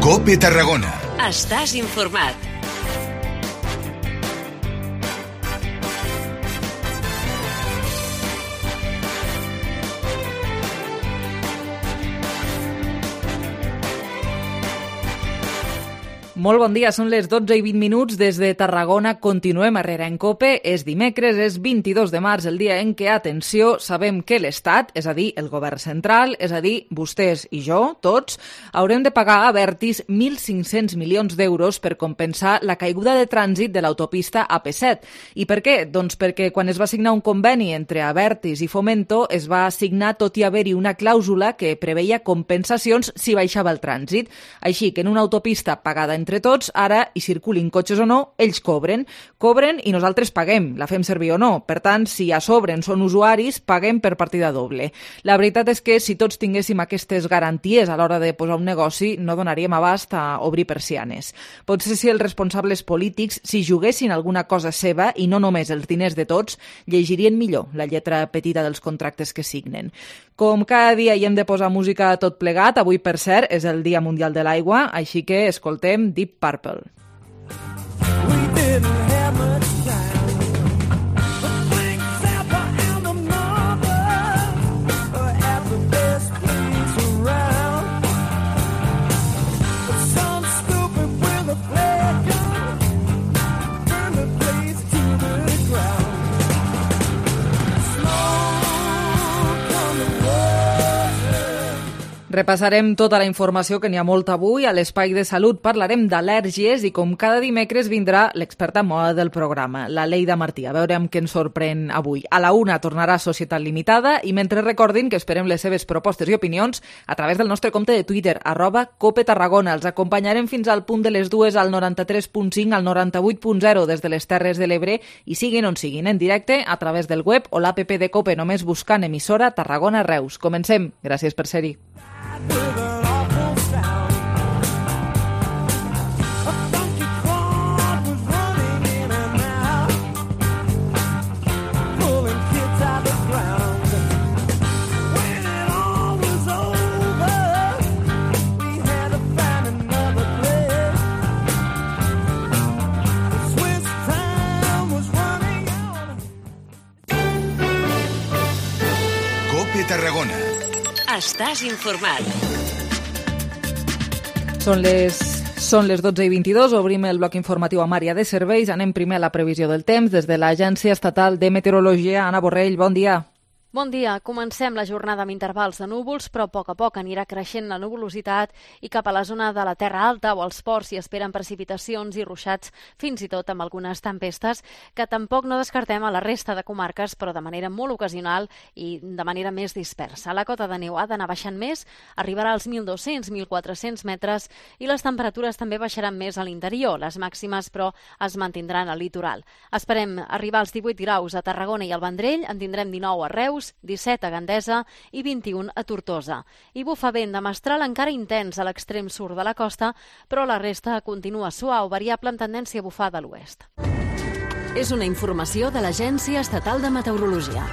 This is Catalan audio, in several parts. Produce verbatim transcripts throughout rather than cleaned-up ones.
COPE Tarragona. Estàs informat. Molt bon dia, són les dotze i vint minuts des de Tarragona. Continuem a Herrera en COPE. És dimecres, és vint-i-dos de març, el dia en què, atenció, sabem que l'Estat, és a dir, el govern central, és a dir, vostès i jo, tots, haurem de pagar a Abertis mil cinc-cents milions d'euros per compensar la caiguda de trànsit de l'autopista A P set. I per què? Doncs perquè quan es va signar un conveni entre Abertis i Fomento es va signar tot i haver-hi una clàusula que preveia compensacions si baixava el trànsit. Així que en una autopista pagada entre tots, ara, hi circulin cotxes o no, ells cobren. Cobren i nosaltres paguem, la fem servir o no. Per tant, si a sobre són usuaris, paguem per partida doble. La veritat és que si tots tinguéssim aquestes garanties a l'hora de posar un negoci, no donaríem abast a obrir persianes. Potser si els responsables polítics, si juguessin alguna cosa seva i no només els diners de tots, llegirien millor la lletra petita dels contractes que signen. Com cada dia hi hem de posar música a tot plegat, avui, per cert, és el Dia Mundial de l'Aigua, així que escoltem Deep Purple. Repassarem tota la informació, que n'hi ha molta avui. A l'Espai de Salut parlarem d'al·lèrgies i, com cada dimecres, vindrà l'experta en moda del programa, la Leida Martí. A veure amb què ens sorprèn avui. A la una tornarà Societat Limitada i mentre recordin que esperem les seves propostes i opinions a través del nostre compte de Twitter, arroba Cope Tarragona. Els acompanyarem fins al punt de les dues al noranta-tres punt cinc, al noranta-vuit punt zero des de les Terres de l'Ebre i siguin on siguin, en directe a través del web o l'app de Cope, només buscant emissora Tarragona Reus. Comencem. Gràcies per ser-hi. COPE Tarragona. Estàs informat. Són les, són les dotze i vint-i-dos, obrim el bloc informatiu amb àrea de serveis. Anem primer a la previsió del temps des de l'Agència Estatal de Meteorologia. Anna Borrell, bon dia. Bon dia. Comencem la jornada amb intervals de núvols, però a poc a poc anirà creixent la nuvolositat i cap a la zona de la Terra Alta o als ports s'hi esperen precipitacions i ruixats, fins i tot amb algunes tempestes, que tampoc no descartem a la resta de comarques, però de manera molt ocasional i de manera més dispersa. La cota de neu ha d'anar baixant més, arribarà als mil dos-cents a mil quatre-cents metres i les temperatures també baixaran més a l'interior. Les màximes, però, es mantindran al litoral. Esperem arribar als divuit graus a Tarragona i al Vendrell, en tindrem dinou a Reus, disset a Gandesa i vint-i-un a Tortosa. I bufa vent de mestral encara intens a l'extrem sud de la costa, però la resta continua suau, variable en tendència a bufar de l'oest. És una informació de l'Agència Estatal de Meteorologia.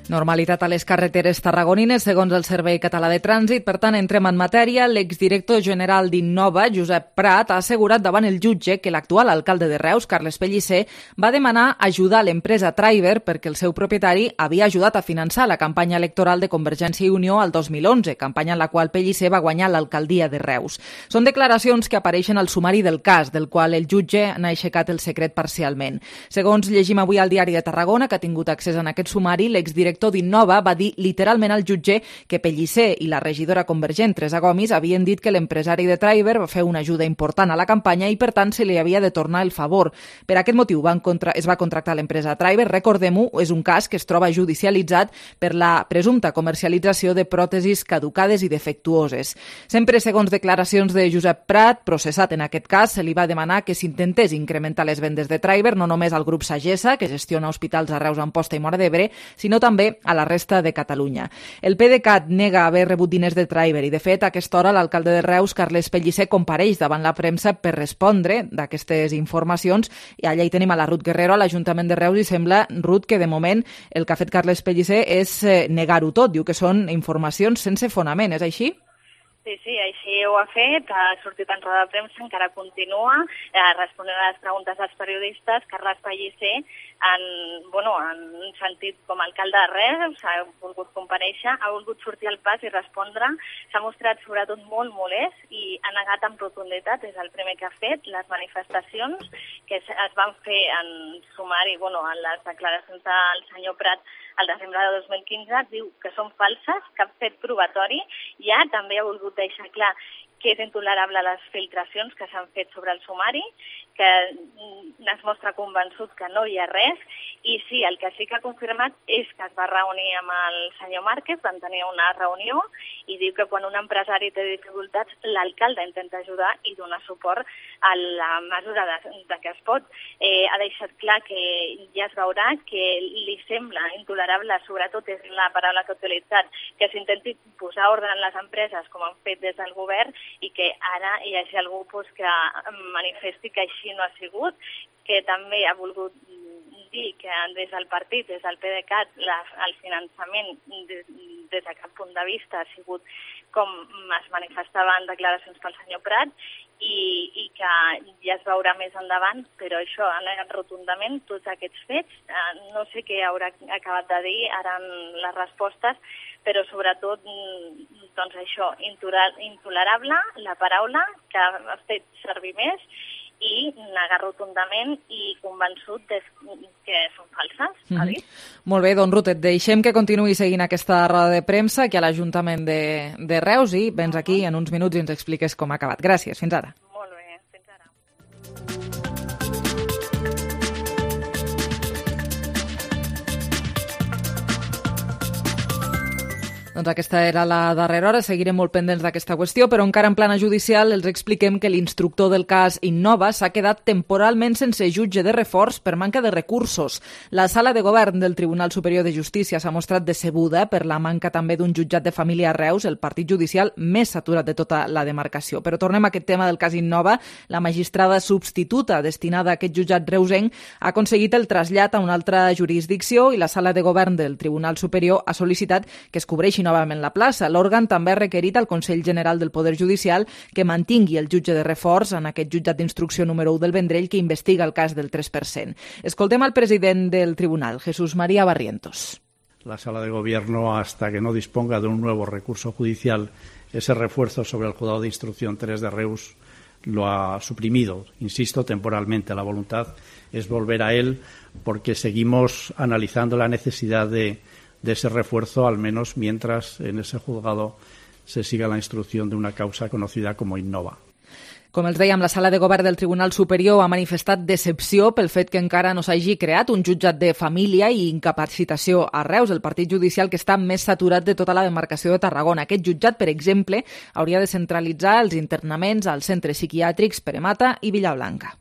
Normalitat a les carreteres tarragonines, segons el Servei Català de Trànsit. Per tant, entrem en matèria. L'exdirector general d'Innova, Josep Prat, ha assegurat davant el jutge que l'actual alcalde de Reus, Carles Pellicer, va demanar ajudar l'empresa Triber perquè el seu propietari havia ajudat a finançar la campanya electoral de Convergència i Unió al dos mil onze, campanya en la qual Pellicer va guanyar l'alcaldia de Reus. Són declaracions que apareixen al sumari del cas, del qual el jutge n'ha aixecat el secret parcialment. Segons llegim avui al Diari de Tarragona, que ha tingut accés a aquest sumari, l'exdirector d'Innova va dir literalment al jutge que Pellicer i la regidora convergent Teresa Gomis havien dit que l'empresari de Triber va fer una ajuda important a la campanya i, per tant, se li havia de tornar el favor. Per aquest motiu van contra... es va contractar l'empresa Triber. Recordem-ho, és un cas que es troba judicialitzat per la presumpta comercialització de pròtesis caducades i defectuoses. Sempre segons declaracions de Josep Prat, processat en aquest cas, se li va demanar que s'intentés incrementar les vendes de Triber, no només al grup Sagessa, que gestiona hospitals a Reus, Amposta i Móra d'Ebre, sinó també a la resta de Catalunya. El PDeCAT nega haver rebut diners de Triber i, de fet, a aquesta hora l'alcalde de Reus, Carles Pellicer, compareix davant la premsa per respondre d'aquestes informacions i allà hi tenim a la Ruth Guerrero a l'Ajuntament de Reus i sembla, Ruth, que de moment el que ha fet Carles Pellicer és negar-ho tot. Diu que són informacions sense fonament. És així? Sí, sí, així ho ha fet, ha sortit en roda de premsa, encara continua eh, responent a les preguntes dels periodistes. Carles Pellicer, en, bueno, en un sentit com a alcalde de Reus, ha volgut comparèixer, ha volgut sortir al pas i respondre. S'ha mostrat sobretot molt molest i ha negat amb rotunditat, és el primer que ha fet, les manifestacions que es van fer en sumari, bueno, en les declaracions del senyor Prat al desembre de dos mil quinze, diu que són falses, cap fet probatori. Ja també ha volgut deixar clar que és intolerable les filtracions que s'han fet sobre el sumari, que es mostra convençut que no hi ha res, i sí, el que sí que ha confirmat és que es va reunir amb el senyor Márquez, van tenir una reunió, i diu que quan un empresari té dificultats, l'alcalde intenta ajudar i donar suport a la mesura de, de que es pot. Eh, ha deixat clar que ja es veurà que li sembla intolerable, sobretot és la paraula que ha utilitzat, que s'intenti posar ordre en les empreses, com han fet des del govern, i que ara hi hagi algú pues, que manifesti que així no ha sigut, que també ha volgut dir que des del partit, des del PDeCAT, la, el finançament des, des de cap punt de vista ha sigut com es manifestava en declaracions pel senyor Prat, i, i que ja es veurà més endavant, però això ha negat rotundament tots aquests fets. Eh, no sé què haurà acabat de dir ara en les respostes, però sobretot doncs això, intolerable la paraula que ha fet servir més i negar rotundament i convençut de que són falses, ha dit. Mm-hmm. Molt bé, doncs Ruth, et deixem que continuï seguint aquesta roda de premsa aquí a l'Ajuntament de, de Reus i vens aquí en uns minuts i ens expliques com ha acabat. Gràcies, fins ara. Molt bé, fins ara. Doncs aquesta era la darrera hora, seguirem molt pendents d'aquesta qüestió, però encara en plana judicial els expliquem que l'instructor del cas Innova s'ha quedat temporalment sense jutge de reforç per manca de recursos. La sala de govern del Tribunal Superior de Justícia s'ha mostrat decebuda per la manca també d'un jutjat de família a Reus, el partit judicial més saturat de tota la demarcació. Però tornem a aquest tema del cas Innova. La magistrada substituta destinada a aquest jutjat reusenc ha aconseguit el trasllat a una altra jurisdicció i la sala de govern del Tribunal Superior ha sol·licitat que es cobreixi novament la plaça. L'òrgan també ha requerit al Consell General del Poder Judicial que mantingui el jutge de reforç en aquest jutjat d'instrucció número u del Vendrell que investiga el cas del tres per cent. Escoltem al president del tribunal, Jesús María Barrientos. La Sala de Gobierno, hasta que no disponga de un nuevo recurso judicial, ese refuerzo sobre el Juzgado de Instrucción tres de Reus lo ha suprimido, insisto, temporalmente. La voluntad es volver a él porque seguimos analizando la necesidad de de ese refuerzo, al menos mientras en ese juzgado se siga la instrucción de una causa conocida como Innova. Com els dèiem, la sala de govern del Tribunal Superior ha manifestat decepció pel fet que encara no s'hagi creat un jutjat de família i incapacitació a Reus, el partit judicial que està més saturat de tota la demarcació de Tarragona. Aquest jutjat, per exemple, hauria de centralitzar els internaments als centres psiquiàtrics Peremata i Villablanca.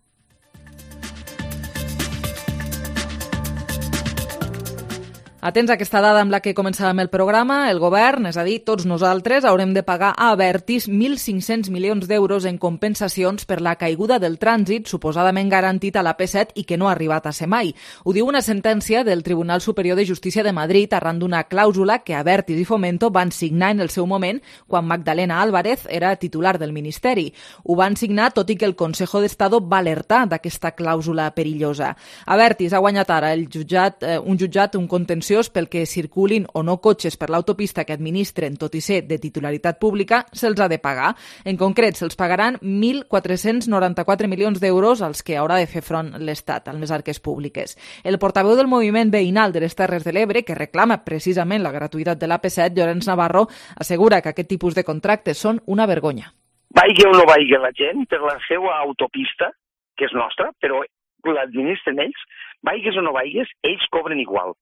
Atents a aquesta dada amb la que començàvem el programa, el govern, és a dir, tots nosaltres, haurem de pagar a Abertis mil cinc-cents milions d'euros en compensacions per la caiguda del trànsit suposadament garantit a la P set i que no ha arribat a ser mai. Ho diu una sentència del Tribunal Superior de Justícia de Madrid arran d'una clàusula que Abertis i Fomento van signar en el seu moment quan Magdalena Álvarez era titular del Ministeri. Ho van signar tot i que el Consejo d'Estado va alertar d'aquesta clàusula perillosa. Abertis ha guanyat ara el jutjat, eh, un jutjat, un contenciós pel que circulin o no cotxes per l'autopista que administren, tot i ser de titularitat pública, se'ls ha de pagar. En concret, se'ls pagaran mil quatre-cents noranta-quatre milions d'euros als que haurà de fer front l'Estat, amb les arques públiques. El portaveu del moviment veïnal de les Terres de l'Ebre, que reclama precisament la gratuïtat de l'A P set, Llorenç Navarro, assegura que aquest tipus de contractes són una vergonya. Vaigui o no vaigui la gent per la seva autopista, que és nostra, però l'administren ells, vaigues o no vaigues, ells cobren igual.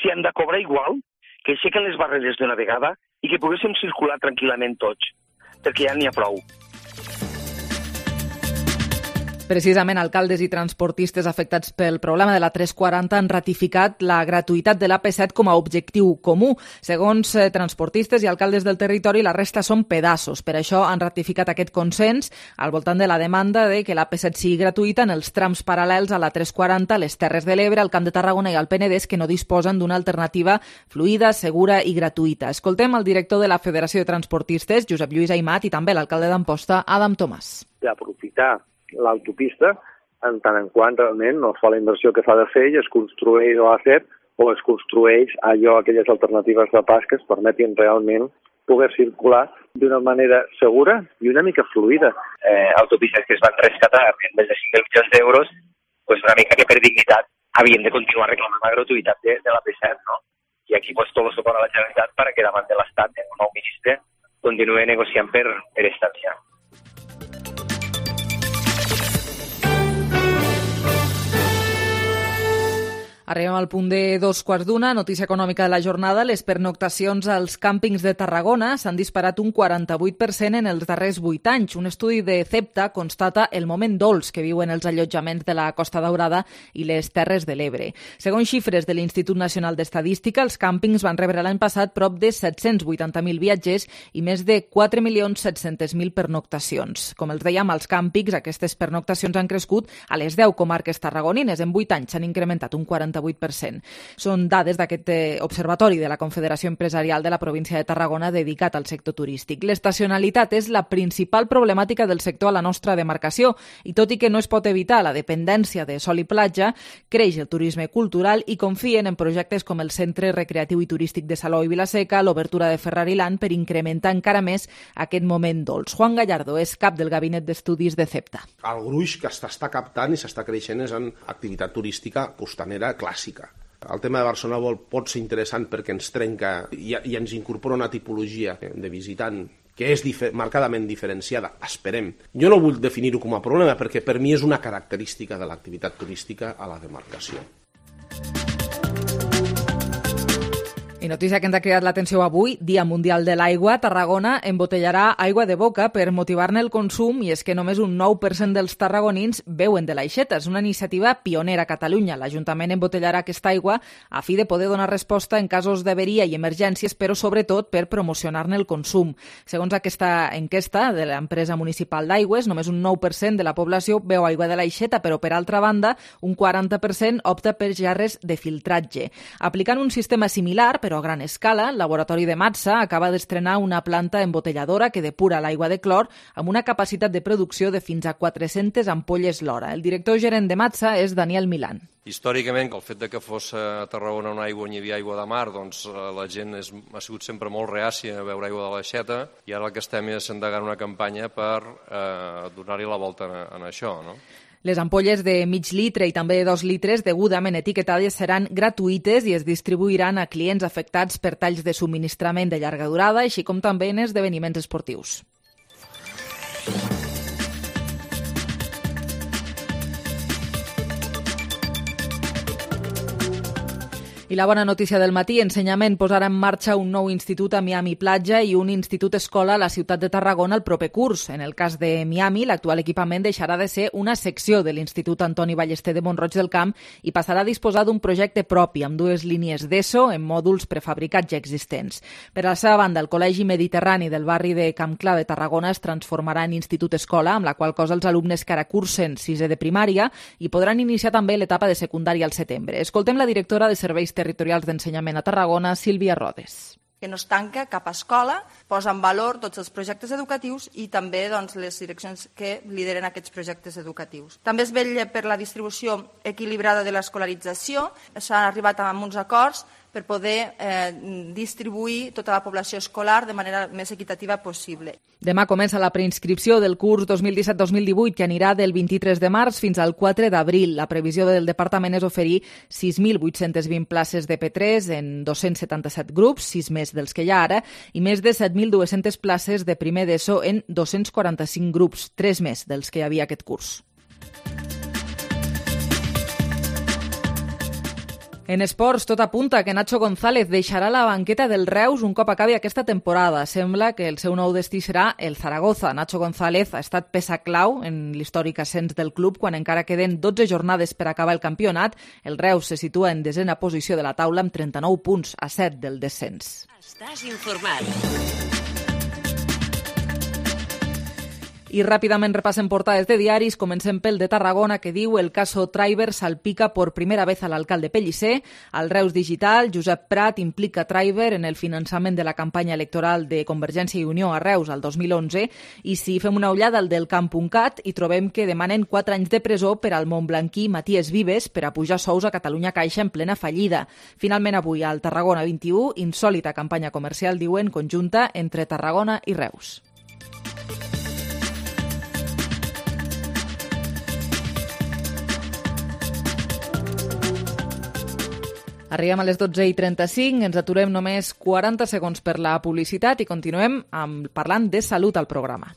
Si han de cobrar igual, que aixequen les barreres d'una vegada i que poguéssim circular tranquil·lament tots, perquè ja n'hi ha prou. Precisament, alcaldes i transportistes afectats pel problema de la tres quaranta han ratificat la gratuïtat de l'A P set com a objectiu comú. Segons eh, transportistes i alcaldes del territori, la resta són pedaços. Per això han ratificat aquest consens al voltant de la demanda de que l'A P set sigui gratuïta en els trams paral·lels a la tres quaranta, a les Terres de l'Ebre, al Camp de Tarragona i al Penedès, que no disposen d'una alternativa fluida, segura i gratuïta. Escoltem el director de la Federació de Transportistes, Josep Lluís Aimat, i també l'alcalde d'Amposta, Adam Tomàs. D'aprofitar l'autopista en tant en quant realment no es fa la inversió que fa de fer i es construeix l'A set o es construeix allò, aquelles alternatives de pas que es permetin realment poder circular d'una manera segura i una mica fluida. Eh, autopistes que es van rescatar en més de cinc mil milions d'euros, pues una mica que per dignitat havien de continuar reclamant la gratuïtat de, de l'A P set, no? I aquí pues tot el suport a la Generalitat perquè davant de l'Estat, el nou ministre, continuï negociant per, per esta via. Arribem al punt de dos quarts d'una, notícia econòmica de la jornada. Les pernoctacions als càmpings de Tarragona s'han disparat un quaranta-vuit per cent en els darrers vuit anys. Un estudi de CEPTA constata el moment dolç que viuen els allotjaments de la Costa Daurada i les Terres de l'Ebre. Segons xifres de l'Institut Nacional d'Estadística, els càmpings van rebre l'any passat prop de set-cents vuitanta mil viatgers i més de quatre milions set-cents mil pernoctacions. Com els dèiem, als càmpings aquestes pernoctacions han crescut a les deu comarques tarragonines. En vuit anys s'han incrementat un quaranta-vuit per cent. Són dades d'aquest observatori de la Confederació Empresarial de la província de Tarragona dedicat al sector turístic. L'estacionalitat és la principal problemàtica del sector a la nostra demarcació i tot i que no es pot evitar la dependència de sol i platja, creix el turisme cultural i confien en projectes com el Centre Recreatiu i Turístic de Salou i Vilaseca, l'obertura de Ferrari-Land per incrementar encara més aquest moment dolç. Juan Gallardo és cap del Gabinet d'Estudis de CEPTA. El gruix que s'està captant i s'està creixent és en activitat turística costanera clàssica. El tema de Barcelona World pot ser interessant perquè ens trenca i, i ens incorpora una tipologia de visitant que és difer- marcadament diferenciada, esperem. Jo no vull definir-ho com a problema perquè per mi és una característica de l'activitat turística a la demarcació. I notícia que ens ha cridat l'atenció avui, Dia Mundial de l'Aigua, Tarragona embotellarà aigua de boca per motivar-ne el consum i és que només un nou per cent dels tarragonins beuen de l'aixeta. És una iniciativa pionera a Catalunya. L'Ajuntament embotellarà aquesta aigua a fi de poder donar resposta en casos d'averia i emergències, però sobretot per promocionar-ne el consum. Segons aquesta enquesta de l'empresa municipal d'aigües, només un nou per cent de la població beu aigua de l'aixeta, però per altra banda, un quaranta per cent opta per gerres de filtratge. Aplicant un sistema similar, però a gran escala, el laboratori de Matsa acaba d'estrenar una planta embotelladora que depura l'aigua de clor amb una capacitat de producció de fins a quatre-centes ampolles l'hora. El director gerent de Matsa és Daniel Milán. Històricament, que el fet de que fos a Tarragona una aigua on hi havia aigua de mar, doncs la gent és, ha sigut sempre molt reàcia a beure aigua de l'aixeta i ara el que estem és endegant una campanya per eh, donar-hi la volta en, en això, no? Les ampolles de mig litre i també de dos litres degudament etiquetades seran gratuïtes i es distribuiran a clients afectats per talls de subministrament de llarga durada, així com també en esdeveniments esportius. I la bona notícia del matí, Ensenyament posarà en marxa un nou institut a Miami Platja i un institut escola a la ciutat de Tarragona el proper curs. En el cas de Miami, l'actual equipament deixarà de ser una secció de l'Institut Antoni Ballester de Mont-roig del Camp i passarà a disposar d'un projecte propi amb dues línies d'ESO en mòduls prefabricats ja existents. Per a la seva banda, el Col·legi Mediterrani del barri de Camp Clar de Tarragona es transformarà en institut escola, amb la qual cosa els alumnes que ara cursen sisè de primària i podran iniciar també l'etapa de secundària al setembre. Escoltem la directora de Serveis Territorials d'Ensenyament a Tarragona, Sílvia Rodes. Que no es tanca cap escola, posa en valor tots els projectes educatius i també doncs, les direccions que lideren aquests projectes educatius. També es vetlla per la distribució equilibrada de l'escolarització, s'han arribat a uns acords per poder eh, distribuir tota la població escolar de manera més equitativa possible. Demà comença la preinscripció del curs dos mil disset dos mil divuit, que anirà del vint-i-tres de març fins al quatre d'abril. La previsió del departament és oferir sis mil vuit-cents vint places de P tres en dos-cents setanta-set grups, sis més dels que hi ha ara, i més de set mil dues-centes places de primer d'ESO en dos-cents quaranta-cinc grups, tres més dels que hi havia aquest curs. En esports, tot apunta que Nacho González deixarà la banqueta del Reus un cop acabi aquesta temporada. Sembla que el seu nou destí serà el Zaragoza. Nacho González ha estat peça clau en l'històric ascens del club quan encara queden dotze jornades per acabar el campionat. El Reus se situa en desena posició de la taula amb trenta-nou punts, a set del descens. Estàs informat. I ràpidament repassem portades de diaris. Comencem pel de Tarragona, que diu: el caso Traiber salpica por primera vez al alcalde Pellicer. Al Reus Digital, Josep Prat implica Traiber en el finançament de la campanya electoral de Convergència i Unió a Reus al dos mil onze. I si fem una ullada al del camp punt cat, hi trobem que demanen quatre anys de presó per al montblanquí Matías Vives per a pujar sous a Catalunya Caixa en plena fallida. Finalment avui al Tarragona vint-i-u, insòlita campanya comercial, diuen, conjunta entre Tarragona i Reus. Arribem a les dotze i trenta-cinc, ens aturem només quaranta segons per la publicitat i continuem amb, parlant de salut al programa.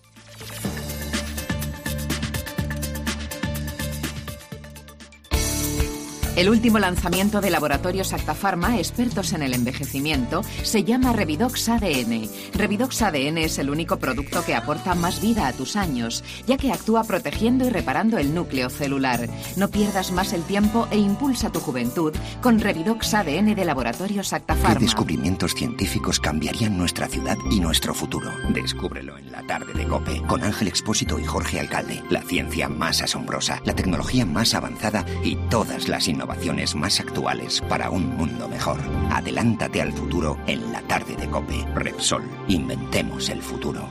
El último lanzamiento de Laboratorios Acta Pharma, expertos en el envejecimiento, se llama Revidox A D N. Revidox A D N es el único producto que aporta más vida a tus años, ya que actúa protegiendo y reparando el núcleo celular. No pierdas más el tiempo e impulsa tu juventud con Revidox A D N de Laboratorios Acta Pharma. ¿Qué descubrimientos científicos cambiarían nuestra ciudad y nuestro futuro? Descúbrelo en la tarde de COPE con Ángel Expósito y Jorge Alcalde. La ciencia más asombrosa, la tecnología más avanzada y todas las innovaciones Innovaciones más actuales para un mundo mejor. Adelántate al futuro en la tarde de COPE. Repsol, inventemos el futuro.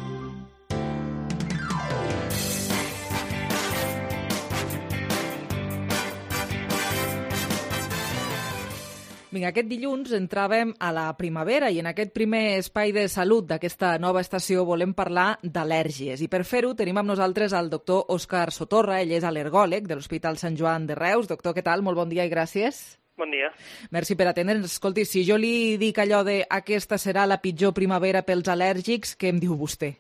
Vinga, aquest dilluns entràvem a la primavera i en aquest primer espai de salut d'aquesta nova estació volem parlar d'al·lèrgies. I per fer-ho tenim amb nosaltres el doctor Òscar Sotorra, ell és al·lergòleg de l'Hospital Sant Joan de Reus. Doctor, què tal? Molt bon dia i gràcies. Bon dia. Merci per atendre'ns. Escolti, si jo li dic allò de aquesta serà la pitjor primavera pels al·lèrgics, què em diu vostè?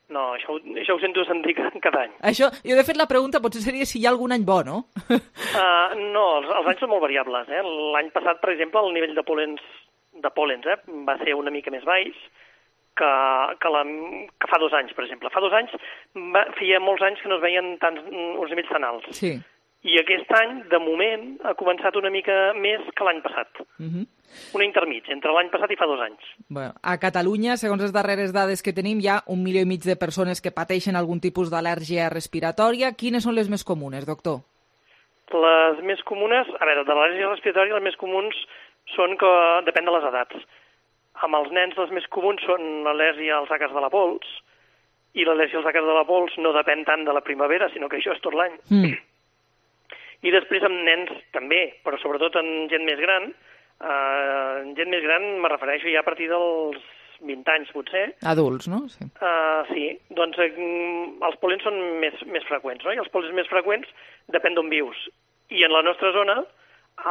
No, això, això ho sento sentir cada any. Això, jo de fet la pregunta potser seria si hi ha algun any bo, no? Uh, no, els, els anys són molt variables. Eh? L'any passat, per exemple, el nivell de pol·lens, de pol·lens eh, va ser una mica més baix que, que, la, que fa dos anys, per exemple. Fa dos anys va, feia molts anys que no es veien tants, uns nivells tan alts. Sí. I aquest any, de moment, ha començat una mica més que l'any passat. Uh-huh. Una intermig, entre l'any passat i fa dos anys. Bueno, a Catalunya, segons les darreres dades que tenim, hi ha un milió i mig de persones que pateixen algun tipus d'al·lèrgia respiratòria. Quines són les més comunes, doctor? Les més comunes, a veure, de l'al·lèrgia respiratòria, les més comuns són que depèn de les edats. Amb els nens les més comuns són l'al·lèrgia als àcars de la pols, i l'al·lèrgia als àcars de la pols no depèn tant de la primavera, sinó que això és tot l'any. Mm. I després amb nens també, però sobretot en gent més gran. Uh, gent més gran me refereixo ja a partir dels vint anys, potser. Adults, no? Sí, uh, sí. Doncs uh, els pol·lens són més, més freqüents, no? I els pol·lens més freqüents depèn d'on vius. I en la nostra zona,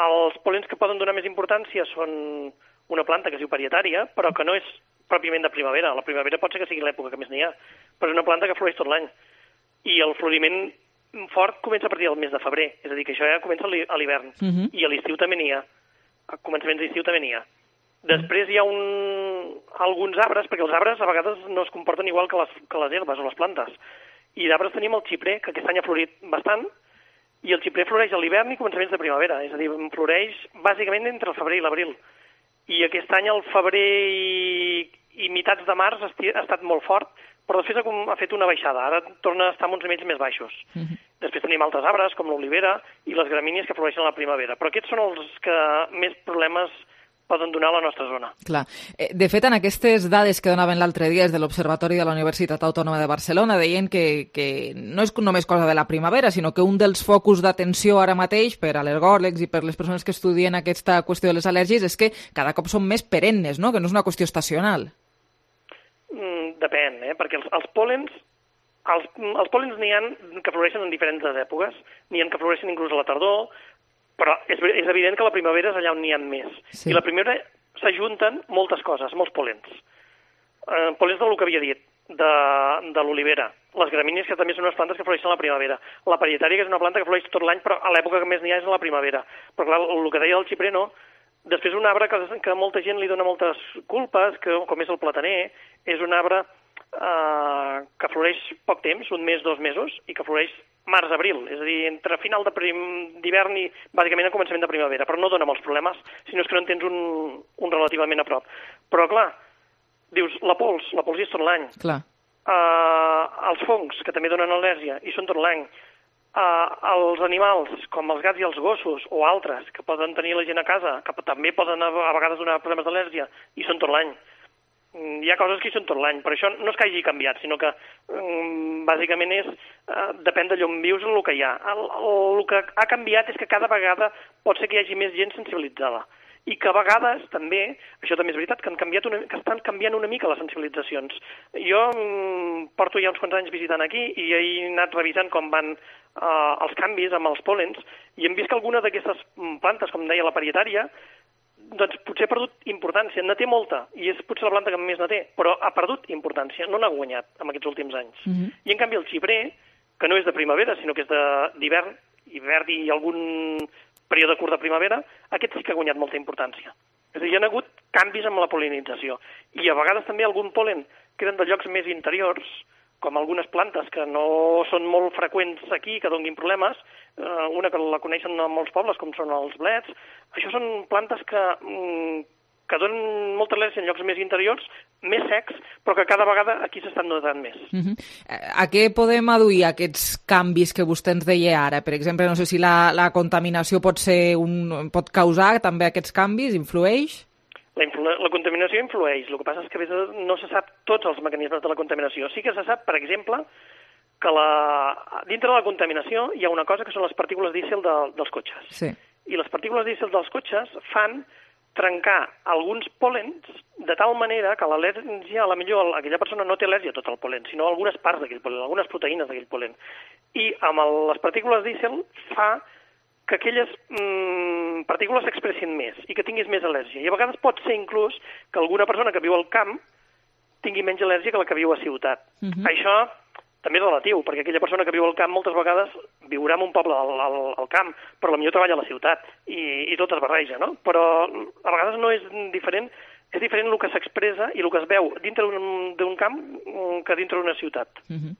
els pol·lens que poden donar més importància són una planta que es diu parietària, però que no és pròpiament de primavera. La primavera pot ser que sigui l'època que més n'hi ha, però és una planta que floreix tot l'any. I el floriment fort comença a partir del mes de febrer, és a dir, que això ja comença a l'hivern. Uh-huh. I a l'estiu també n'hi ha. A començaments d'estiu també n'hi ha. Després hi ha un... alguns arbres, perquè els arbres a vegades no es comporten igual que les, que les herbes o les plantes. I d'arbres tenim el xiprer, que aquest any ha florit bastant, i el xiprer floreix a l'hivern i començaments de primavera, és a dir, floreix bàsicament entre el febrer i l'abril. I aquest any el febrer i, i mitats de març ha estat molt fort, però després ha, ha fet una baixada, ara torna a estar amb uns nivells més baixos. Uh-huh. Després tenim altres arbres, com l'olivera i les gramínies que floreixen a la primavera, però aquests són els que més problemes poden donar a la nostra zona. Clar. De fet, en aquestes dades que donaven l'altre dia des de l'Observatori de la Universitat Autònoma de Barcelona deien que, que no és només cosa de la primavera, sinó que un dels focus d'atenció ara mateix per a al·lergòlegs i per les persones que estudien aquesta qüestió de les al·lèrgies és que cada cop són més perennes, no? Que no és una qüestió estacional. Mm, depèn, eh? Perquè els, els pòlens els, els pòlens n'hi ha que floreixen en diferents èpoques, n'hi ha que floreixen inclús a la tardor, però és, és evident que la primavera és allà on n'hi ha més. Sí. I la primavera s'ajunten moltes coses, molts pòlens. Eh, pòlens del que havia dit, de, de l'olivera, les gramínies, que també són unes plantes que floreixen a la primavera, la parietària, que és una planta que floreix tot l'any, però a l'època que més n'hi ha és a la primavera. Però clar, el que deia del xiprer no, Després un arbre que, que molta gent li dona moltes culpes, que, com és el plataner, és un arbre eh, que floreix poc temps, un mes, dos mesos, i que floreix març-abril, és a dir, entre final d'hivern i bàsicament el començament de primavera, però no dona molts problemes, sinó és que no en tens un, un relativament a prop. Però clar, dius, la pols, la pols hi és tot l'any. Clar. Uh, els fongs, que també donen al·lèrgia, hi són tot l'any. Uh, els animals, com els gats i els gossos, o altres, que poden tenir la gent a casa, que també poden a, a vegades donar problemes d'al·lèrgia, hi són tot l'any. Mm, hi ha coses que hi són tot l'any, però això no és que hagi canviat, sinó que mm, bàsicament és, uh, depèn d'allò on vius el que hi ha. El, el, el que ha canviat és que cada vegada pot ser que hi hagi més gent sensibilitzada. I que a vegades també, això també és veritat, que, han canviat una, que estan canviant una mica les sensibilitzacions. Jo mm, porto ja uns quants anys visitant aquí i he anat revisant com van uh, els canvis amb els pòlens i hem vist que alguna d'aquestes plantes, com deia la parietària, doncs potser ha perdut importància. Ne té molta i és potser la planta que més ne té, però ha perdut importància, no n'ha guanyat en aquests últims anys. Mm-hmm. I en canvi el xiprer, que no és de primavera, sinó que és d'hivern, hivern i algun període curt de primavera, aquest sí que ha guanyat molta importància. És a dir, hi ha hagut canvis amb la pol·linització. I a vegades també algun pol·len que eren de llocs més interiors, com algunes plantes que no són molt freqüents aquí, que donguin problemes, eh, una que la coneixen a molts pobles, com són els blets. Això són plantes que, mm, que donen molta al·lèrgia en llocs més interiors, més secs, però que cada vegada aquí s'estan notant més. Uh-huh. A què podem aduir aquests canvis que vostè ens deia ara? Per exemple, no sé si la, la contaminació pot ser un, pot causar també aquests canvis, influeix? La, influ la contaminació influeix, el que passa és que a vegades no se sap tots els mecanismes de la contaminació. Sí que se sap, per exemple, que la... dintre de la contaminació hi ha una cosa que són les partícules dísel de, dels cotxes. Sí. I les partícules dísel dels cotxes fan trencar alguns pol·lens de tal manera que l'al·lèrgia, a la millor aquella persona no té al·lèrgia a tot el pol·len, sinó algunes parts d'aquell pol·len, algunes proteïnes d'aquell pol·len. I amb el, les partícules dísel fa que aquelles mm, partícules s'expressin més i que tinguis més al·lèrgia. I a vegades pot ser inclús que alguna persona que viu al camp tingui menys al·lèrgia que la que viu a ciutat. Uh-huh. Això també és relatiu, perquè aquella persona que viu al camp moltes vegades viurà en un poble al, al, al camp, però potser treballa a la ciutat i, i tot es barreja, no? Però a vegades no és diferent, és diferent el que s'expressa i el que es veu dintre d'un camp que dintre d'una ciutat. Uh-huh.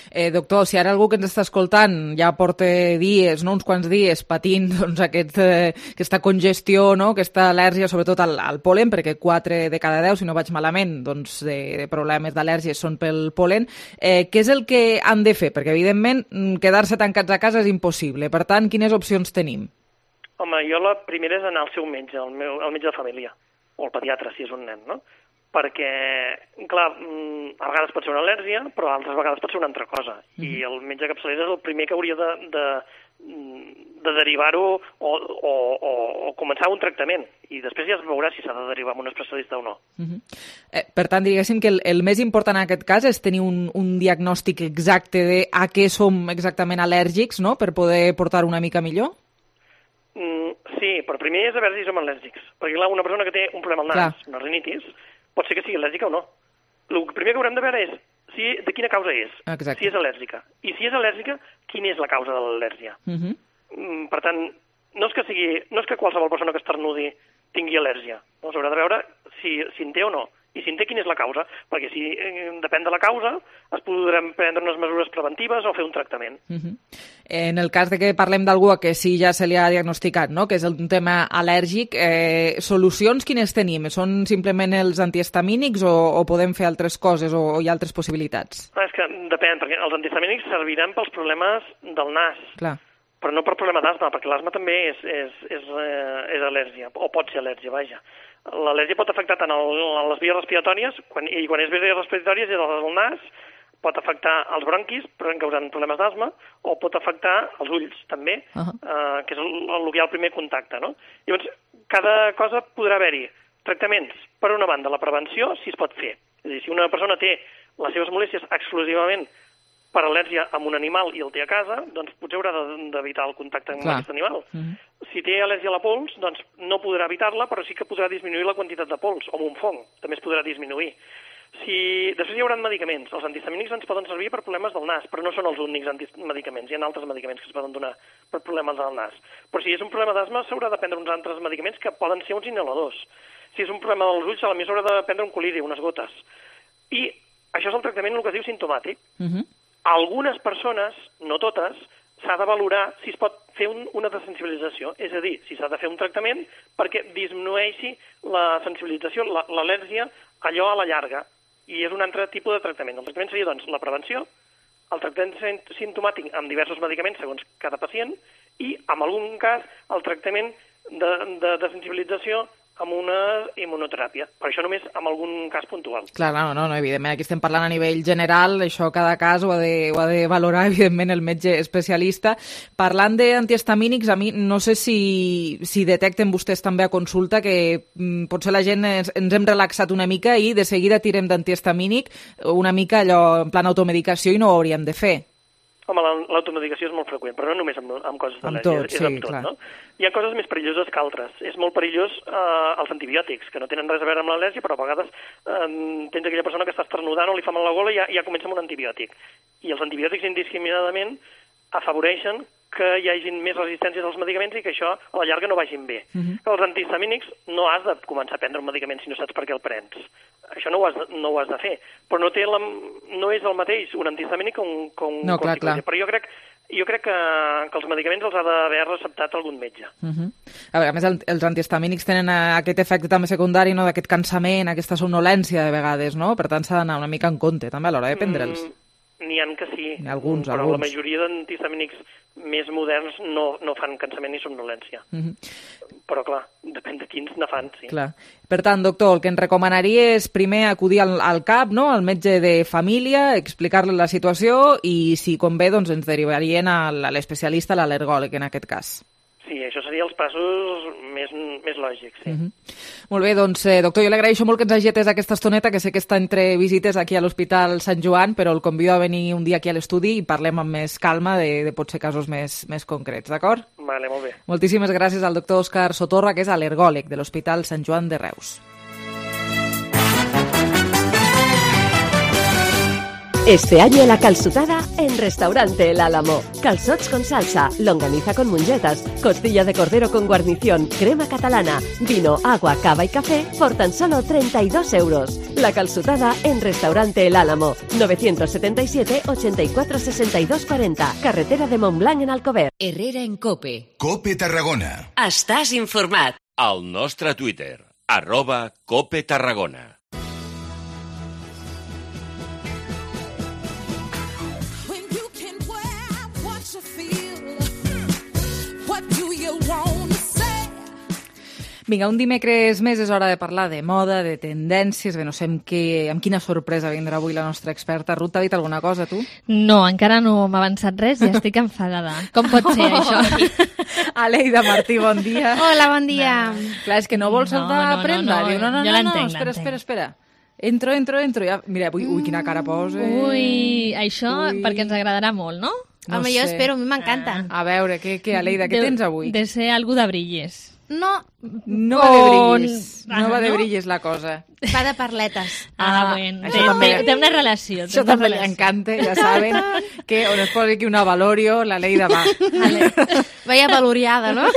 eh, doctor, si ara algú que ens està escoltant ja porta dies, no, uns quants dies patint doncs, aquest, eh, aquesta congestió, no, aquesta al·lèrgia sobretot al, al pol·len, perquè quatre de cada deu, si no vaig malament, doncs, de, de problemes d'al·lèrgies són pel pol·len, eh, què és el que han de fer? Perquè evidentment quedar-se tancats a casa és impossible. Per tant, quines opcions tenim? Home, jo la primera és anar al seu metge, al meu, al metge de família, o al pediatre, si és un nen, no? Perquè, clar, a vegades pot ser una al·lèrgia, però altres vegades pot ser una altra cosa. Mm-hmm. I el metge capçalera és el primer que hauria de, de, de derivar-ho o, o, o, o començar un tractament. I després ja es veurà si s'ha de derivar amb un especialista o no. Mm-hmm. eh, per tant, diguéssim que el, el més important en aquest cas és tenir un, un diagnòstic exacte de a què som exactament al·lèrgics, no?, per poder portar una mica millor? Mm, sí, però primer és a veure si som al·lèrgics. Perquè, clar, una persona que té un problema al nas, clar, una rinitis, pot ser que sigui al·lèrgica o no. El primer que haurem de veure és si, de quina causa és, exacte, si és al·lèrgica. I si és al·lèrgica, quina és la causa de l'al·lèrgia. Uh-huh. Mm, per tant, no és que sigui, no és que qualsevol persona que esternudi tingui al·lèrgia. No? S'haurà de veure si, si en té o no. I si en té, quina és la causa. Perquè si eh, depèn de la causa, es podrem prendre unes mesures preventives o fer un tractament. Uh-huh. En el cas de que parlem d'algú que sí ja se li ha diagnosticat, no?, que és un tema al·lèrgic, eh, solucions quines tenim? Són simplement els antihistamínics o, o podem fer altres coses o, o hi ha altres possibilitats? Ah, és que depèn, perquè els antihistamínics serviran pels problemes del nas. Clar. Però no per problema d'asma, perquè l'asma també és, és, és, eh, és al·lèrgia, o pot ser al·lèrgia, vaja. L'al·lèrgia pot afectar tant el, les vies respiratòries, quan, i quan és vies respiratòries és el nas, pot afectar els bronquis, però causant problemes d'asma, o pot afectar els ulls, també, uh-huh. eh, que és el, el que hi ha el primer contacte, no? Llavors, cada cosa podrà haver-hi tractaments. Per una banda, la prevenció, si es pot fer. És a dir, si una persona té les seves molèsties exclusivament per al·lèrgia amb un animal i el té a casa, doncs potser haurà d'evitar el contacte amb Clar. aquest animal. Uh-huh. Si té al·lèrgia a la pols, doncs no podrà evitar-la, però sí que podrà disminuir la quantitat de pols, o amb un fong, també es podrà disminuir. Si... Després hi haurà medicaments. Els antihistamínics ens poden servir per problemes del nas, però no són els únics medicaments. Hi ha altres medicaments que es poden donar per problemes del nas. Però si és un problema d'asma, s'haurà de prendre uns altres medicaments que poden ser uns inhaladors. Si és un problema dels ulls, a la més s'haurà de prendre un coliri, unes gotes. I això és el tractament, el que es diu simptomàtic. Uh-huh. Algunes persones, no totes, s'ha de valorar si es pot fer un, una desensibilització, és a dir, si s'ha de fer un tractament perquè disminueixi la sensibilització, la, l'al·lèrgia, allò a la llarga. I és un altre tipus de tractament. El tractament seria, doncs, la prevenció, el tractament simptomàtic amb diversos medicaments segons cada pacient i, en algun cas, el tractament de, de desensibilització amb una immunoteràpia. Per això només en algun cas puntual. Clar, no, no, no, evidentment, aquí estem parlant a nivell general, això cada cas ho ha de, ho ha de valorar, evidentment, el metge especialista. Parlant d'antihistamínics, a mi no sé si, si detecten vostès també a consulta que mm, potser la gent ens, ens hem relaxat una mica i de seguida tirem d'antihistamínic una mica allò en plan automedicació i no ho hauríem de fer. Home, l'automedicació és molt freqüent, però no només amb, amb coses amb d'al·lèrgia, tot, és sí, amb tot, clar. No? Hi ha coses més perilloses que altres. És molt perillós eh, els antibiòtics, que no tenen res a veure amb l'al·lèrgia, però a vegades eh, tens aquella persona que està esternudant o li fa mal la gola i ja, ja comença amb un antibiòtic. I els antibiòtics indiscriminadament afavoreixen que hi hagin més resistències als medicaments i que això a la llarga no vagin bé. Uh-huh. Els antihistamínics no has de començar a prendre un medicament si no saps per què el prens. Això no ho has de, no ho has de fer. Però no, té la, no és el mateix un antihistamínic que un, que un no, clar, clar. Però jo crec, jo crec que, que els medicaments els ha d'haver receptat algun metge. Uh-huh. A veure, a més, el, els antihistamínics tenen aquest efecte també secundari, no?, d'aquest cansament, aquesta somnolència de vegades, no? Per tant, s'ha d'anar una mica en compte també a l'hora de prendre'ls. Mm, N'hi ha que sí, alguns, però alguns. La majoria d'antihistamínics més moderns no, no fan cansament ni somnolència. Uh-huh. Però, clar, depèn de quins ne fan, sí. Clar. Per tant, doctor, el que ens recomanaria és primer acudir al, al C A P, no?, al metge de família, explicar-li la situació i, si convé, doncs ens derivarien a l'especialista, a l'al·lergòleg, en aquest cas. Sí, això seria els passos més, més lògics, sí. Uh-huh. Molt bé, doncs, eh, doctor, jo li agraeixo molt que ens hagi atès aquesta estoneta, que sé que està entre visites aquí a l'Hospital Sant Joan, però el convido a venir un dia aquí a l'estudi i parlem amb més calma de, de potser casos més, més concrets, d'acord? Vale, molt bé. Moltíssimes gràcies al doctor Òscar Sotorra, que és al·lergòleg de l'Hospital Sant Joan de Reus. Este año la calçotada en Restaurante El Álamo. Calzots con salsa, longaniza con mungetas, costilla de cordero con guarnición, crema catalana, vino, agua, cava y café por tan solo treinta y dos euros. La calçotada en Restaurante El Álamo. novecientos setenta y siete, ochenta y cuatro, sesenta y dos cuarenta. Carretera de Montblanc en Alcover. Herrera en Cope. Cope Tarragona. Estàs informat. Al nostre Twitter, arroba Cope Tarragona. Vinga, un dimecres més és hora de parlar de moda, de tendències, bé, no sé amb, què, amb quina sorpresa vindrà avui la nostra experta. Ruth, t'ha dit alguna cosa, tu? No, encara no m'ha avançat res i estic enfadada. Com pot ser, això? Aleida Martí, bon dia. Hola, bon dia. No. Clar, és que no vols saltar no, a prendre. No, no, Diu, no, no, jo no, l'entenc, no, espera, espera, espera. Entro, entro, entro. Ja, mira, ui, ui, quina cara posa. Ui, això ui. Perquè ens agradarà molt, no? No Home, sé. jo espero, a mi m'encanta. Ah. A veure, què, què Aleida, què de, tens avui? De ser algú de brilles. No, no va de brilles, no va de no? brilles la cosa. Va de parletes. Ah, ah bueno, té, té, té una relació. Això també li encanta, ja saben, que on es posa aquí una Valorio, la Leida va. Vale. Vaya valoriada, ¿no?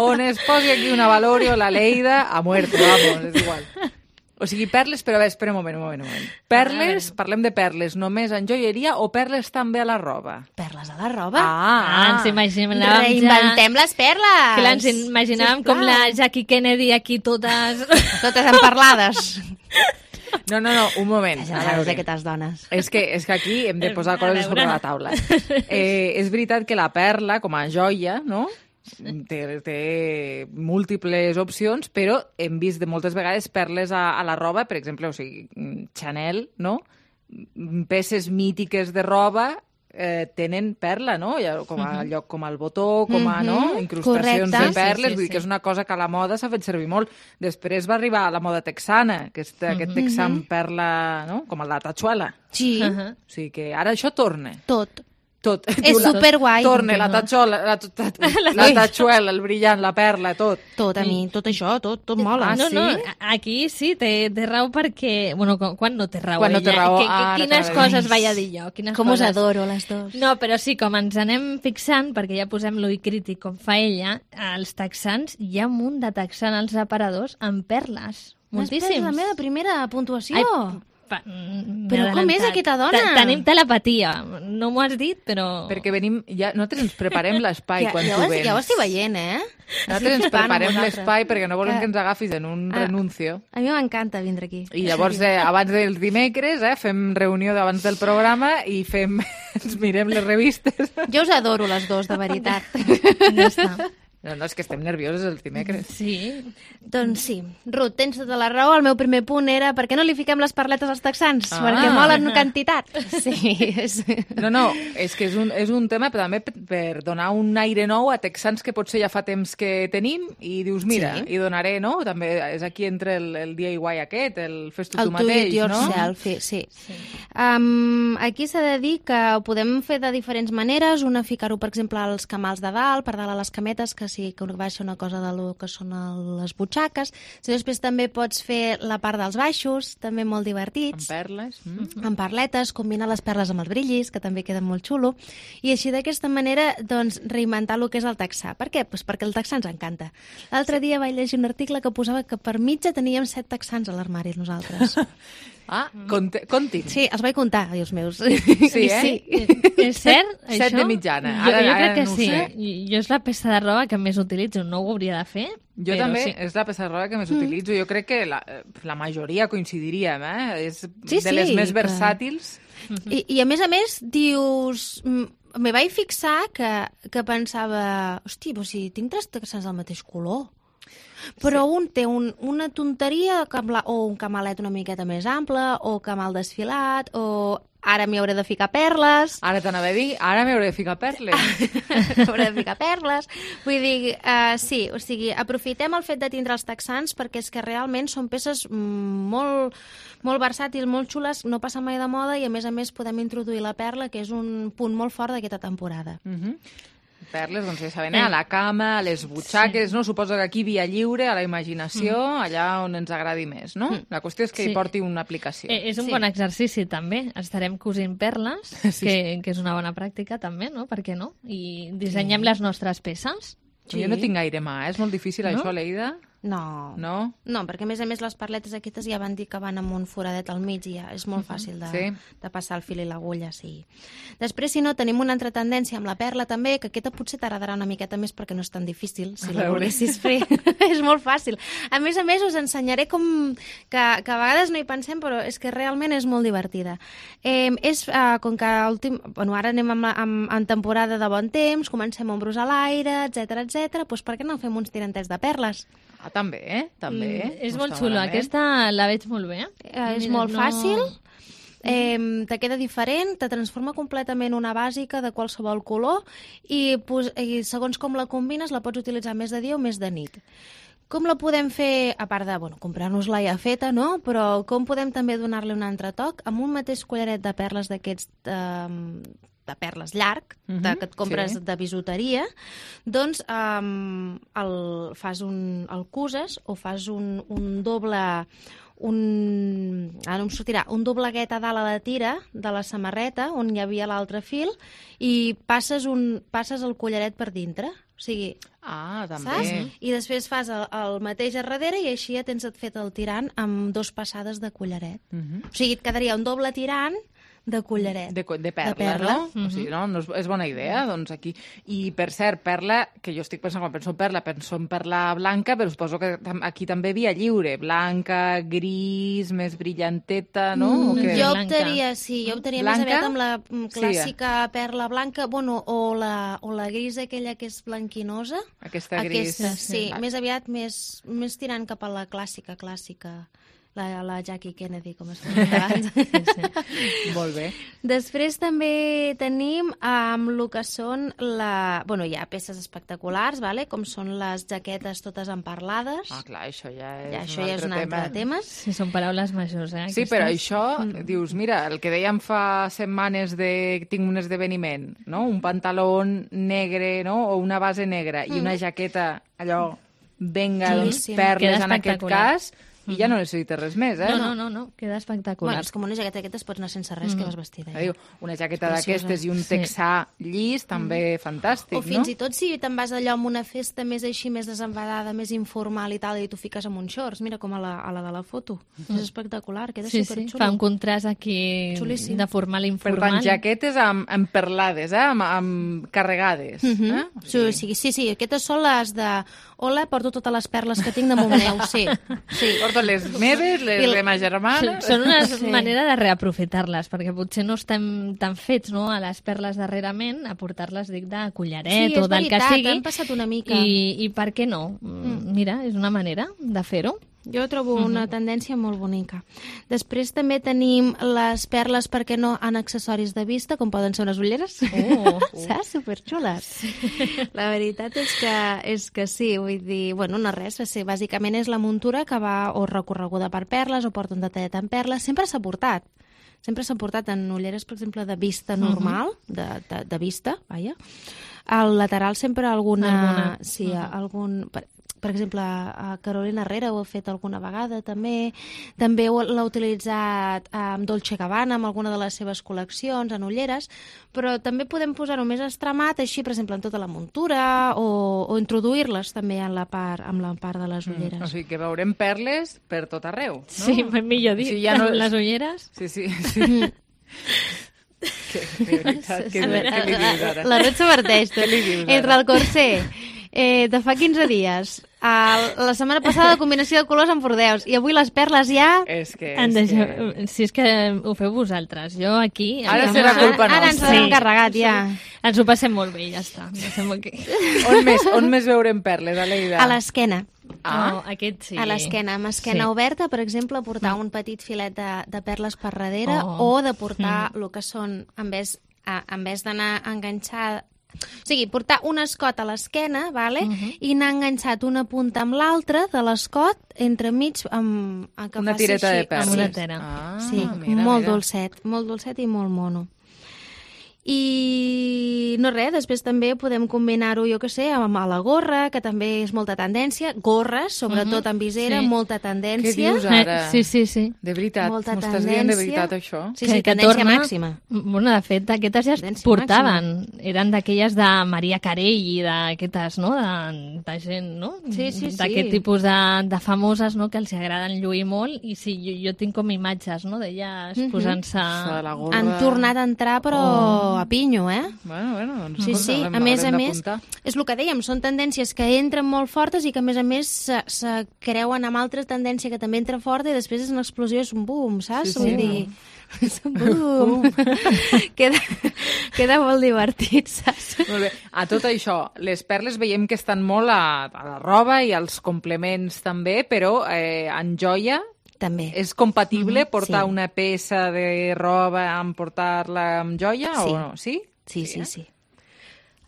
On es posi aquí una Valorio, la Leida, a muerte, vamos, és igual. O sigui, perles, però a veure, espera un moment, un moment, un moment. Perles, parlem de perles només en joieria o perles també a la roba? Perles a la roba? Ah, ah ens imaginàvem Reinventem ja... les perles! Clar, ens imaginàvem com la Jackie Kennedy aquí totes... totes emparlades. No, no, no, un moment. Ja saps d'aquestes dones. És que, és que aquí hem de posar coses sobre la taula. Eh, és veritat que la perla, com a joia, no?, Té, té múltiples opcions, però hem vist de moltes vegades perles a, a la roba, per exemple, o sigui, Chanel, no? Peces mítiques de roba eh, tenen perla, no? Com a uh-huh. lloc com el botó, com a, no? Incrustacions Correcte. de perles, sí, sí, vull dir sí. que és una cosa que a la moda s'ha fet servir molt. Després va arribar a la moda texana, aquest, uh-huh. aquest texan perla, no? Com la tachuela. Sí. Uh-huh. O sigui que ara això torna. Tot. tot. És superguai. Torne, la tatxola, la, la, la tatxuela, el brillant, la perla, tot. Tot, a mi, tot això, tot, tot mola. Ah, no, no, aquí sí, té, té raó perquè... Bueno, quan no té raó quan no té ella? raó. Que, que, Ah, quines coses vaig a dir jo? Quines Com us coses? adoro, les dos. No, però sí, com ens anem fixant, perquè ja posem l'ull crític com fa ella, als texans hi ha un munt de texans als aparadors amb perles. Moltíssims. Després la meva primera puntuació. Ai, pa, Però com és aquesta dona? Te- Tenim telepatia. No m'ho has dit, però... Perquè venim... Ja, nosaltres ens preparem l'espai Ja, quan ja, tu ho, vens. ja ho estic veient, eh? Nosaltres ens flipant amb preparem vosaltres. l'espai perquè no volem Que- que ens agafis en un Ah. renuncio. A mi m'encanta vindre aquí. I llavors, eh, abans dels dimecres, eh, fem reunió d'abans del programa i fem, ens mirem les revistes. Jo us adoro les dos, de veritat. Ja està. No, no, és que estem nervioses els dimecres. Sí. Doncs sí. Ruth, tens tota la raó. El meu primer punt era per què no li fiquem les perletes als texans? Ah. Perquè molen quantitat. Sí. És... No, no, és que és un, és un tema però també per, per donar un aire nou a texans que potser ja fa temps que tenim i dius, mira, Sí. i donaré, no? També és aquí entre el, el D I Y aquest, el fes-tu El tu do it mateix, yourself, no? sí. sí. Um, aquí s'ha de dir que ho podem fer de diferents maneres. Una, ficar-ho, per exemple, als camals de dalt, per dalt a les cametes, que sí que baixa una cosa de lo que són el, les butxaques. Si després també pots fer la part dels baixos, també molt divertits. Amb perles. Mm. Amb perletes, combinar les perles amb els brillis, que també queda molt xulo. I així d'aquesta manera, doncs, reinventar el que és el texà. Per què? Pues perquè el texà ens encanta. L'altre dia vaig llegir un article que posava que per mitja teníem set texans a l'armari, nosaltres. Ah, conti, conti. Sí, els vaig comptar, els meus. Sí, eh? Sí. És cert, Set això? de mitjana. Jo, Ara- jo ara crec que no ho sí. sé. I- Jo és la peça de roba que més utilitzo. No ho hauria de fer, Jo però també, sí. és la peça de roba que més Mm. utilitzo. Jo crec que la, la majoria coincidiríem, eh? És Sí, de les sí, més que- versàtils. I, I a més a més, dius... mm, Me vaig fixar que, que pensava, hosti, però si tinc tres texans del mateix color. Però sí. Un té un, una tonteria o un camalet una miqueta més ample, o camal desfilat, o ara m'hi hauré de ficar perles. Ara t'anava a dir, ara m'hauré de ficar perles. Hauré de ficar perles. Vull dir, uh, sí, o sigui, aprofitem el fet de tindre els texans perquè és que realment són peces mm, molt, molt versàtils, molt xules, no passen mai de moda i a més a més podem introduir la perla, que és un punt molt fort d'aquesta temporada. Mhm. Uh -huh. Perles, doncs ja saben, eh? A la cama, a les butxaques, sí. No? Suposo que aquí via lliure, a la imaginació, mm. allà on ens agradi més, no? Mm. La qüestió és que Sí. hi porti una aplicació. Eh, és un Sí. bon exercici, també. Estarem cosint perles, Sí. que, que és una bona pràctica, també, no? Per què no? I dissenyem Sí. les nostres peces. Sí. Jo no tinc gaire mà, eh? És molt difícil No? això, Leida? No. No? No, perquè a més a més les perletes aquestes ja van dir que van amb un foradet al mig i ja és molt fàcil de, Sí. de passar el fil i l'agulla, sí. Després, si no, tenim una altra tendència amb la perla també, que aquesta potser t'agradarà una miqueta més perquè no és tan difícil, si A la veure. volguessis fer. És molt fàcil. A més a més, us ensenyaré com... Que, que a vegades no hi pensem, però és que realment és molt divertida. Eh, és, eh, com que últim, bueno, ara anem amb la, amb, en temporada de bon temps, comencem a ombros a l'aire, etcètera, etcètera, doncs per què no fem uns tirantets de perles? Ah, també, eh? També. Mm, és No molt està xulo. malament. Aquesta la veig molt bé. Eh, és Mira, molt no- fàcil, eh, te queda diferent, te transforma completament una bàsica de qualsevol color i, pos, i segons com la combines la pots utilitzar més de dia o més de nit. Com la podem fer, a part de bueno, comprar-nos-la ja feta, no? Però com podem també donar-li un altre toc amb un mateix collaret de perles d'aquests eh, de perles llarg, Mhm, de, que et compres sí. de bisuteria, doncs um, el, fas un, el cuses o fas un, un doble un, ara no em sortirà, un dobleguet a dalt a la tira de la samarreta on hi havia l'altre fil i passes, un, passes el collaret per dintre. O sigui, Ah, també. saps? I després fas el, el mateix a darrere i així ja tens fet el tirant amb dos passades de collaret. Mhm. O sigui, et quedaria un doble tirant de collaret. De, co- de perla, de perla. no? Mm -hmm. O sigui, no, no és, és bona idea, doncs aquí. I, per cert, perla, que jo estic pensant, quan penso en perla, penso en perla blanca, però suposo que tam- aquí també via lliure, blanca, gris, més brillanteta, no? O Mm, què? jo optaria, sí, jo optaria Blanca? més aviat amb la mm, Sí, clàssica perla blanca, bueno, o la, o la gris aquella que és blanquinosa. Aquesta gris. Aquesta, sí, Va. més aviat més, més tirant cap a la clàssica, clàssica. la, la Jackie Kennedy, com es deia abans. Sí, sí. Molt bé. Després també tenim amb el que són la... Bueno, hi ha peces espectaculars, vale? Com són les jaquetes totes emparlades. Ah, clar, això ja és ja, un això ja és altre un altre tema. tema. Sí, són paraules majors, eh? Sí, aquestes. però això, mm. dius, mira, el que dèiem fa setmanes de tinc un esdeveniment, no? Un pantaló negre, no? O una base negra mm. i una jaqueta, allò, venga, sí, doncs, sí. perles en aquest cas, i ja no necessites res més, eh? No, no, no, no. Queda espectacular. Bueno, és com una jaqueta d'aquestes pots anar sense res, mm. que vas vestida. Ja. Diu, una jaqueta d'aquestes i un texà sí. llis, també mm. fantàstic, o no? O fins i tot si te'n vas allò amb una festa més així, més desenfadada, més informal i tal, i tu fiques amb uns shorts, mira com a la, a la de la foto. Mm. És espectacular, queda sí, superxulo. Sí, fa un contrast aquí Xulíssim. De formal i informal. Per tant, jaquetes amb, amb perlades, eh? amb, amb carregades. Mm -hmm. eh? sí. Sí, sí, sí, aquestes són les de... Hola, porto totes les perles que tinc damunt meu, sí. sí. Porto les meves, les de ma germana... Són una sí. manera de reaprofitar-les, perquè potser no estem tan fets no, a les perles darrerament, a portar-les, dic, de collaret sí, o del veritat, que sigui. han passat una mica. I, i per què no? Mm. Mira, és una manera de fer-ho. Jo trobo uh-huh. una tendència molt bonica. Després també tenim les perles, per què no, en accessoris de vista, com poden ser unes ulleres. Oh, oh. Saps? Superxules. Sí. La veritat és que, és que sí, vull dir, bueno, no res, sí, bàsicament és la muntura que va o recorreguda per perles o porta un detallet en perles. Sempre s'ha portat. Sempre s'ha portat en ulleres, per exemple, de vista normal, uh-huh. de, de, de vista, vaja. Al lateral sempre alguna... alguna. Sí, uh-huh. algun... Per, per exemple, a Carolina Herrera ho ha fet alguna vegada, també. També l'ha utilitzat amb Dolce Gabbana, amb alguna de les seves col·leccions, en ulleres, però també podem posar-ho més extremat, així, per exemple, en tota la muntura, o, o introduir-les també en la part, en la part de les ulleres. Mm, o sigui que veurem perles per tot arreu, no? Sí, millor dir, o sigui, ja no... les ulleres. Sí, sí, sí. Mm. que, de veritat, que, veure, què li dius ara? La Ruth s'averteix. Què li dius ara? Entre el corser eh, de fa quinze dies, el, la setmana passada la combinació de colors amb bordeus, i avui les perles ja... És que... És deixa... que... Si és que ho feu vosaltres, jo aquí... Ara serà culpa nostra. Ara ens ho hem carregat, ja. Ens ho passem molt bé, ja està. Que... on, més, on més veurem perles, Aleida? A l'esquena. Ah, oh, aquest sí. A l'esquena, amb esquena sí. oberta, per exemple, portar mm. un petit filet de, de perles per darrere, oh. o de portar mm. el que són, en vez, a, en vez d'anar enganxada... O sigui, portar un escot a l'esquena, vale? uh-huh. i anar enganxat una punta amb l'altra de l'escot, entremig, amb... amb una tireta així, de perles. Amb una tera. Ah, sí, mira, molt mira. dolcet, molt dolcet i molt mono. I no res, després també podem combinar-ho, jo que sé, amb la gorra, que també és molta tendència. Gorres, sobretot uh-huh. amb visera, sí. molta tendència. Què dius ara? Eh, sí, sí, sí. De veritat, m'ho estàs dient de veritat, això? Sí, sí, que, tendència torna... màxima. Bueno, de fet, aquestes ja es tendència portaven. Màxima. Eren d'aquelles de Maria Carey i d'aquestes, no?, de, de gent, no? Sí, sí, sí. D'aquest tipus de, de famoses, no?, que els agraden lluir molt, i sí, jo, jo tinc com imatges, no?, d'elles uh-huh. posant-se... Han tornat a entrar, però... Oh. A pinyo, eh? Bueno, bueno, doncs sí, sí, a més a més, és el que dèiem, són tendències que entren molt fortes i que a més a més se, se creuen amb altres tendències que també entren forta i després és una explosió, és un boom, saps? Sí, sí, Vull dir, és un boom. queda, queda molt divertit, saps? Molt bé. A tot això, les perles veiem que estan molt a, a la roba i als complements també, però eh, en joia també. És compatible mm-hmm, portar sí. una peça de roba amb portar-la amb joia sí. o no? Sí? Sí, sí, sí.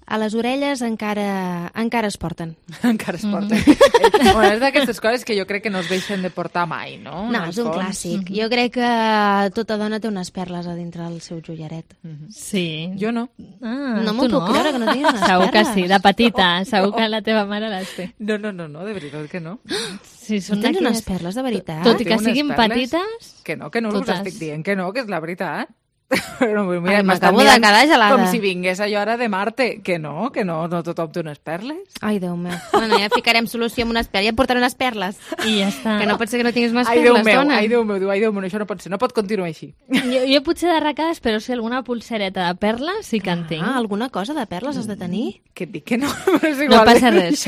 A les orelles encara encara es porten. encara es porten. Mm-hmm. Bueno, és d'aquestes coses que jo crec que no es deixen de portar mai, no? No, és un fons. Clàssic. Mm-hmm. Jo crec que tota dona té unes perles a dintre del seu joiaret. Mm-hmm. Sí. Jo no. Ah, no m'ho puc no? creure que no tinguis unes segur perles. Segur que sí, de petita. No, segur no. que la teva mare les té. No, no, no, no, de veritat que no. Sí, són tens d'aquelles... unes perles de veritat? Tot i que siguin petites... Que no, que no us totes. estic dient que no, que és la veritat. Però, mira, Ai, m'acabo de quedar gelada. Com si vingués allò ara de Marte. Que no, que no, no tothom té unes perles. Ai, Déu meu. Bueno, ja ficarem solució amb unes perles. Ja et portaré unes perles. I ja està. Que no pot ser que no tinguis unes ai, perles, Déu meu, dona. ai, Déu meu, ai, Déu meu, això no pot ser. No pot continuar així. Jo, jo potser d'arracades, però si alguna pulsereta de perles sí que en tinc. Ah, alguna cosa de perles has de tenir? Que et dic que no. Però és No igual. passa res.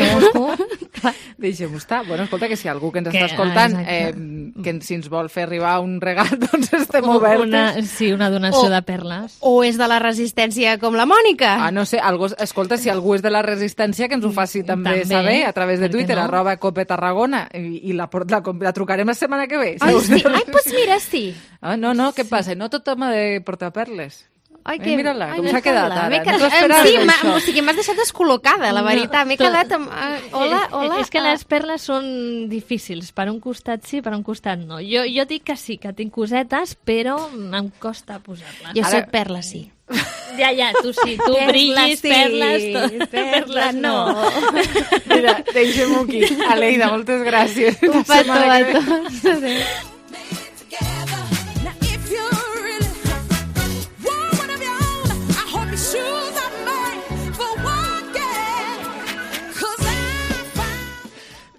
Deixem-ho estar. Bueno, escolta, que si algú que ens està escoltant, eh, que si ens vol fer arribar un regal, doncs estem obertes. Una, sí, una donació generació O- de perles. O és de la resistència com la Mònica? Ah, no sé, algú, escolta, si algú és de la resistència, que ens ho faci també, També, saber a través de per què Twitter, no? arroba Cope Tarragona, i, i la, la, la trucarem la setmana que ve. Ai, Segur. sí. Ai, pues mira, sí. Ah, no, no, què passa? No tothom ha de portar perles. Ai, Eh, mira-la, com ai, s'ha quedat Carla, ara. m'he No quedat- t'ho esperaves, sí, m'ha- això? o sigui, m'has deixat descol·locada, la No, veritat. M'he clar. quedat amb... Uh, hola, hola. És que ah. les perles són difícils. Per un costat sí, per un costat no. Jo, jo dic que sí, que tinc cosetes, però em costa posar-les. Jo Ara- soc perla, sí. Ja, ja, tu sí, tu Perla, brillis, sí, perles, to... perla, no. Mira, deixem-ho aquí. Aleida, moltes gràcies. Un La petó setmana a que ve. tots. Adéu.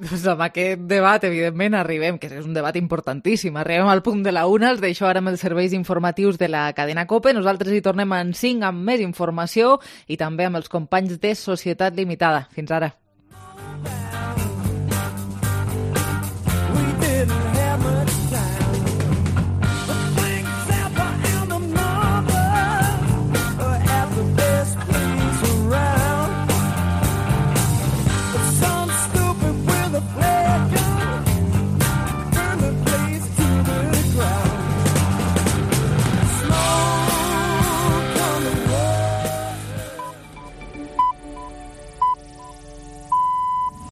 Doncs amb aquest debat, evidentment, arribem, que és un debat importantíssim, arribem al punt de la una, els deixo ara amb els serveis informatius de la cadena COPE, nosaltres hi tornem en cinc amb més informació i també amb els companys de Societat Limitada. Fins ara.